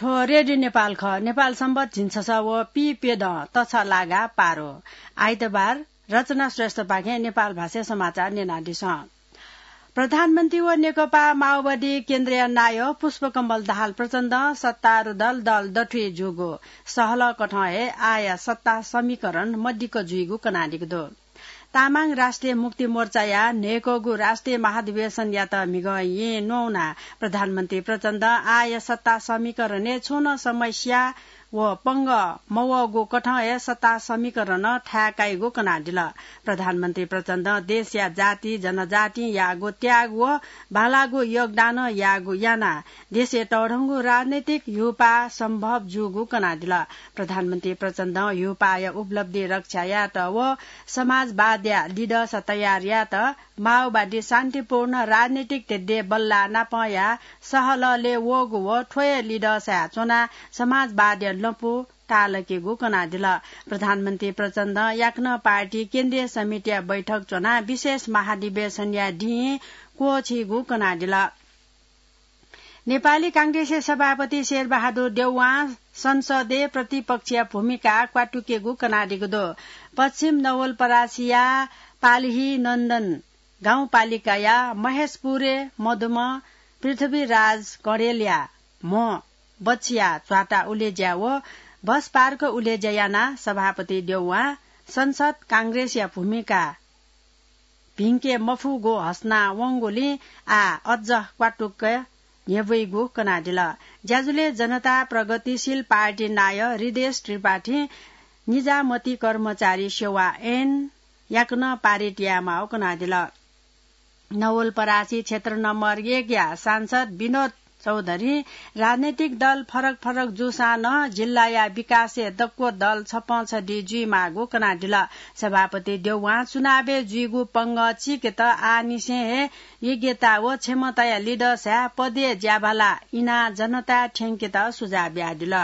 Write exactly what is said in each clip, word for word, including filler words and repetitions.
थ्व रेडियो नेपाल खः। नेपाल संवत झिंछसः व पीप्यदँ तछलागा पारो। आइतबार रचना श्रेष्ठपाखें नेपाल भाषाय् समाचार न्यनादिसँ। प्रधानमन्त्री व नेकपा माओवादी केन्द्रया नायः पुष्पकमल दाहाल प्रचण्डं सत्तारूढ दल, दल दथुइ जूगु सहलकथं हे आःया सत्ता समीकरण मदिक्क जुइगु कनादीगु दु। तामाङ राष्ट्रिय मुक्ति मोर्चाया न्हय्कःगु राष्ट्रिय महाधिवेशनयात म्हिगः येँ न्ववाः प्रधानमन्त्री प्रचण्डं आःया सत्ता समीकरणय् छुं नं समस्या व पंगः मवःगु कथं हे सत्ता समीकरणं थाय् काइगु कनादिल। प्रधानमन्त्री प्रचण्डं देशया जाति जनजातिं याःगु त्याग व बांलाःगु योगदानं याःगु यानाः देशय् तःधंगु राजनैतिक ह्यूपाः सम्भव जूगु कनादिल। प्रधानमन्त्री प्रचण्डं ह्यूपाःया उपलब्धि रक्षा यायेत व समाजवादया लिडस तयार यायेत माओवादी शान्तिपूर्ण राजनैतिक ध्येद्यः बल्लाः नापं याः सहललय् वःगु व थ्व हे लिडसय् च्वनाः समाजवादया लँपु ताःलाकेगु कनादिल। प्रधानमन्त्री प्रचण्डं याकनं पार्टी केन्द्रीय समितिया बैठक च्वनाः विशेष महाधिवेशनया दिं क्वःछीगु कनादिल। नेपाली कांग्रेसया सभापति शेरबहादुर देउवां संसदय् प्रतिपक्षया भूमिका क्वातुकेगु कनादीगु दु। पश्चिम नवलपरासीया पाल्ही नन्दन गाउँपालिकाया महेशपुरे मदुम्ह पृथ्वीराज कँडेलया म्ह बछिया च्वाता उलेज्या व बस पार्क उलेज्या यानाः सभापति देउवां संसद कांग्रेसया भूमिका भिंके मफुगु हसना वंगुलिं आः अझ क्वातुक न्ह्यब्वइगु कनादिल। ज्याझ्वलय् जनता प्रगतिशील पार्टी नायः हृदेश त्रिपाठीं निजामती कर्मचारी सेवा ऐन याकनं पारित यायेमाःगु कनादिल। नवलपरासी क्षेत्र नम्बर एकया सांसद विनोद चौधरीं राजनैतिक दल फरक फरक जूसां नं जिल्लाया विकासय् दक्व दल छपंछदी जुइमाःगु कनादिल। सभापति देउवां चुनावय् जुइगु पंगः चीकेत आःनिसें हे योग्यता व क्षमताया लिडसय् पदय् ज्याभाला इनाः जनताय् थ्यंकेत सुझाव बियादिल।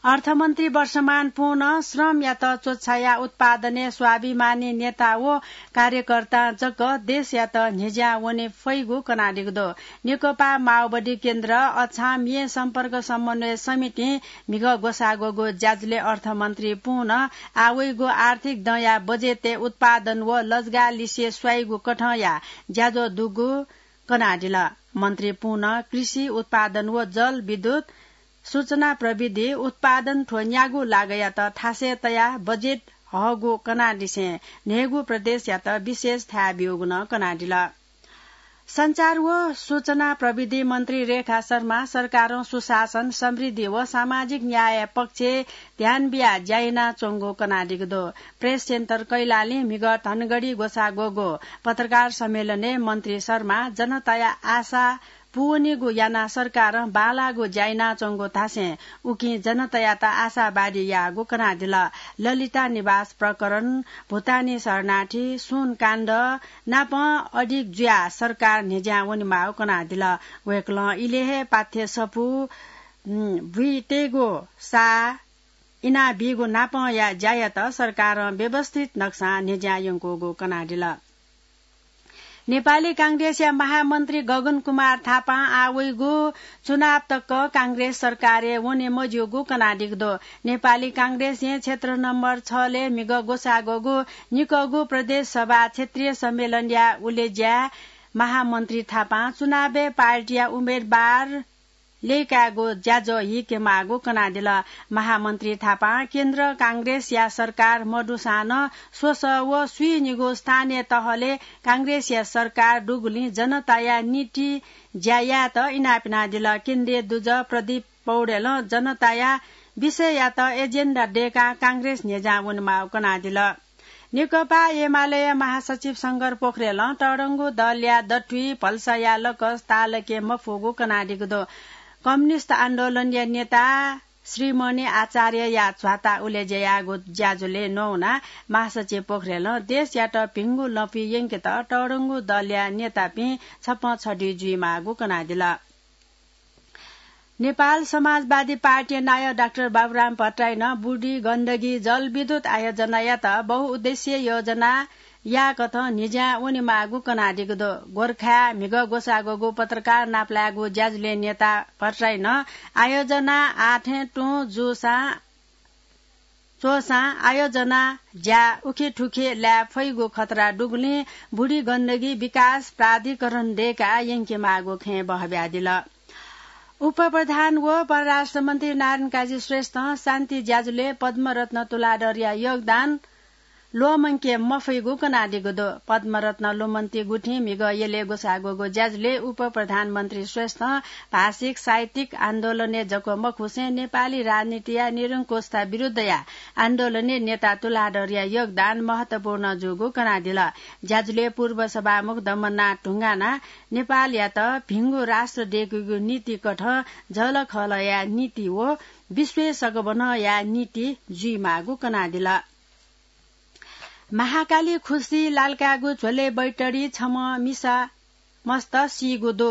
अर्थमन्त्री वर्षमान पुं नं श्रमयात च्वछायाः उत्पादनय् स्वाभिमानी नेता व कार्यकर्तां जक देशयात न्ह्यज्यां वने फइगु कनादीगु दु। नेकपा माओवादी केन्द्र अछाम येँ सम्पर्क समन्वय समितिं म्हिगः ग्वसाः ग्वःगु ज्याझ्वलय् अर्थमन्त्री पुं नं आः वइगु आर्थिक दँया बजेटय् उत्पादन व लजगाः लिसे स्वाइगु कथंया ज्याझ्वः दुगु कनादिल। मन्त्री पुं नं कृषि उत्पादन व जल विद्युत सूचना प्रविधि उत्पादन थ्व न्यागू लागःयात थासय् तयाः बजेट हःगु कनादिसें न्हय्गू प्रदेशयात विशेष थाय् ब्यूगु नं कनादिल। सञ्चार व सूचना प्रविधि मन्त्री रेखा शर्मा सरकारं सुशासन, समृद्धि व सामाजिक न्याय पक्षय् ध्यान बियाः ज्या यानाच्वंगु कनादीगु दु। प्रेस सेन्टर कैलालीं म्हिगः धनगढी ग्वसाः ग्वःगु पत्रकार सम्मेलनय् मन्त्री शर्मा जनताया आशा पूवनीगु यानाः सरकारं बांलाःगु ज्या यानाच्वंगु धासें उकिं जनतायात आशावादी याःगु कनादिल। ललिता निवास प्रकरण, भुटानी शरणार्थी, सुन काण्ड नापं अधिक जुयाः सरकार न्ह्यज्यां वनेमाःगु कनादिल। वय्कलं इलय् हे पाथ्य सफू, उम्, बुइतेगु सा इनाबीगु नापंया ज्यायात सरकारं व्यवस्थित नक्सां न्ह्यज्यां यंकूगु कनादिल। नेपाली कांग्रेसया महामन्त्री गगन कुमार थापां आः वइगु चुनाव तक कांग्रेस सरकारय् वने मज्यूगु कनादीगु दु। नेपाली कांग्रेसं क्षेत्र नम्बर छलय् म्हिगः ग्वसाः ग्वःगु निकःगु प्रदेश सभा क्षेत्रीय सम्मेलनया उलेज्याय् महामन्त्री थापां चुनावय् पार्टीया उम्मेदवार लय्कायेगु ज्याझ्वः हीकेमाःगु कनादिल। महामन्त्री थापां केन्द्र कांग्रेसया सरकार मदुसां नं स्वसः व स्वीनिगू स्थानीय तहलय् कांग्रेसया सरकार दुगुलिं जनताया निंतिं ज्या यायेत इनाप यानादिल। केन्द्रीय दुजः प्रदीप पौडेलं जनताया विषययात एजेन्डा दय्काः कांग्रेस न्ह्यज्यां वनेमाःगु कनादिल। नेकपा एमालेया महासचिव शंकर पोखरेलं तःधंगु दलया दथुइ भलसाया लकस ताःलाके मफुगु कनादीगु दु। कम्युनिस्ट आन्दोलनया नेता श्रीमणि आचार्यया झ्वाता उलेज्या याःगु ज्याझ्वलय् न्ववानाः महासचिव पोखरेलं देशयात भिंगु लँपुइ यंकेत तःधंगु दलया नेतापिं छपंछदी जुइमाःगु कनादिल। नेपाल समाजवादी पार्टी नायः डाक्टर बाबुराम भट्टराईं बुढी गण्डकी जलविद्युत आयोजनायात बहुउद्देश्य योजना याकथं न्हिज्यां वनेमाःगु कनादीगु दु। गोर्खाय् म्हिगः ग्वसाः ग्वःगु पत्रकार नापलायेगु ज्याझ्वलय् नेता भट्टराईं आयोजना आथें तुं जूसां च्वःसां आयोजना ज्या उखेथुखे लाये फइगु खतरा दुगुलिं बुढी गण्डकी विकास प्राधिकरण दय्काः यंकेमाःगु खँय् बहब्यादिल। उपप्रधान व परराष्ट्र मन्त्री नारायण काजी श्रेष्ठं शान्ति ज्याझ्वलय् पद्मरत्न तुलाधरया योगदान ल्वःमंके मफइगु कनादीगु दु। पद्मरत्न लुमन्ति गुथिं म्हिगः यलय् ग्वसाः ग्वःगु ज्याझ्वलय् उपप्रधानमन्त्री श्रेष्ठं भाषिक साहित्यिक आन्दोलनय् जक मखुसें नेपाली राजनीतिया निरंकुशता विरुद्धया आन्दोलनय् नेता तुलाधरया योगदान महत्वपूर्ण जूगु कनादिल। ज्याझ्वलय् पूर्व सभामुख दमननाथ ढुङ्गानां नेपालयात भिंगु राष्ट्र दय्केगु नीतिकथं झलखलया नीति व विश्वय् सकबन्हया नीति जुइमाःगु कनादिल। महाकाली खुसी लालकायेगु झ्वलय् बैतडी छम्ह मिसा मस्त सीगु दु।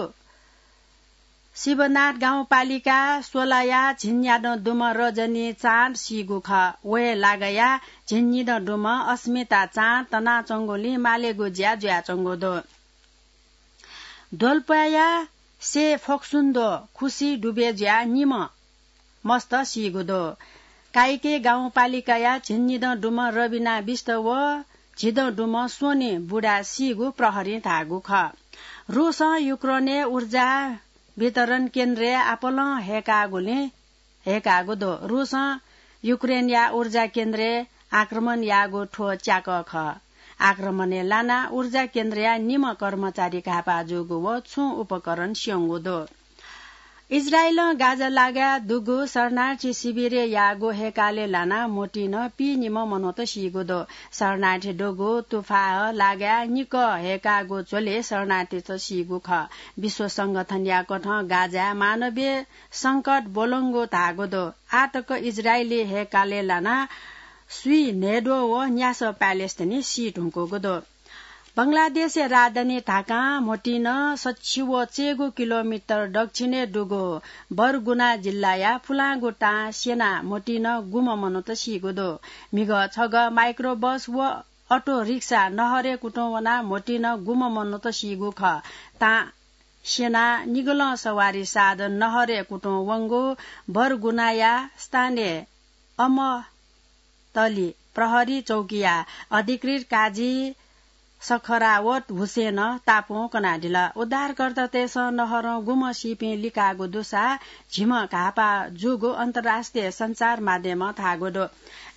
शिवनाथ गाउँपालिका सोलाया झिंन्यादँ दुम्ह रजनी चाँद सीगु खः। व हे लागाया झिंनिदँ दुम्ह अस्मिता चाँद तनाच्वंगुलिं मालेगु ज्या जुयाच्वंगु दु। दोलप्वाया से फोक्सुन्दो खुसी डुबे जुयाः निम्ह मस्त सीगु दु। काइके गाउँपालिकाया झिंनिदँ दुम्ह रबिना बिष्ट व झिदँ दुम्ह स्वनि बुढा सीगु प्रहरीं धाःगु खः। रुसं युक्रेनय् ऊर्जा वितरण केन्द्रय् आपालं हय्कागुलिं हय्कागु दु। रुसं युक्रेनया ऊर्जा केन्द्रय् आक्रमण याःगु थ्व च्याकः खः। आक्रमणय् लानाः ऊर्जा केन्द्रया निम्ह कर्मचारी घाःपाः जूगु व छुं उपकरण स्यंगु दु। इजरायलं गाजा लागाय् दुगु शरणार्थी शिविरय् याःगु हय्कालय् लानाः म्होतिं पिइनिम्ह मनूत सीगु दु। शरणार्थी दुगु तुफाह लागाय् निकः हय्कागु झ्वलय् शरणार्थीत सीगु खः। विश्व संगठनया कथं गाजाय् मानवीय संकट ब्वलंगु धाःगु दु। आः तक इजरायली हय्कालय् लानाः स्वीन्हय्द्वः व न्यासः प्यालेस्टिनी सी धुंकूगु दु। बंगलादेशया राजधानी ढाकां म्होतिं सछि व चय्गू किलोमिटर दक्षिणय् दुगु बरगुना जिल्लाया पुलांगु तां स्यनाः म्होतिं गुम्ह मनूत सीगु दु। म्हिगः छगः माइक्रोबस व अटो रिक्सा नहरय् कुतुं वनाः म्होतिं गुम्ह मनूत सीगु खः। तां स्यनाः निगलं सवारी साधन नहरय् कुतुं वंगु बरगुनाया स्थानीय अमतली प्रहरी चौकीया अधिकृत काजी सखरावत हुसेनं तापुं कनादिल। उद्धारकर्तातय्सं नहरं गुम्ह सीपिं लिकाःगु दुसा झिम्ह घाःपाः जूगु अन्तर्राष्ट्रिय सञ्चार माध्यमं धाःगु दु।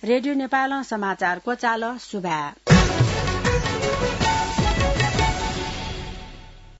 रेडियो नेपालं समाचार क्वचाल। सुभाय्।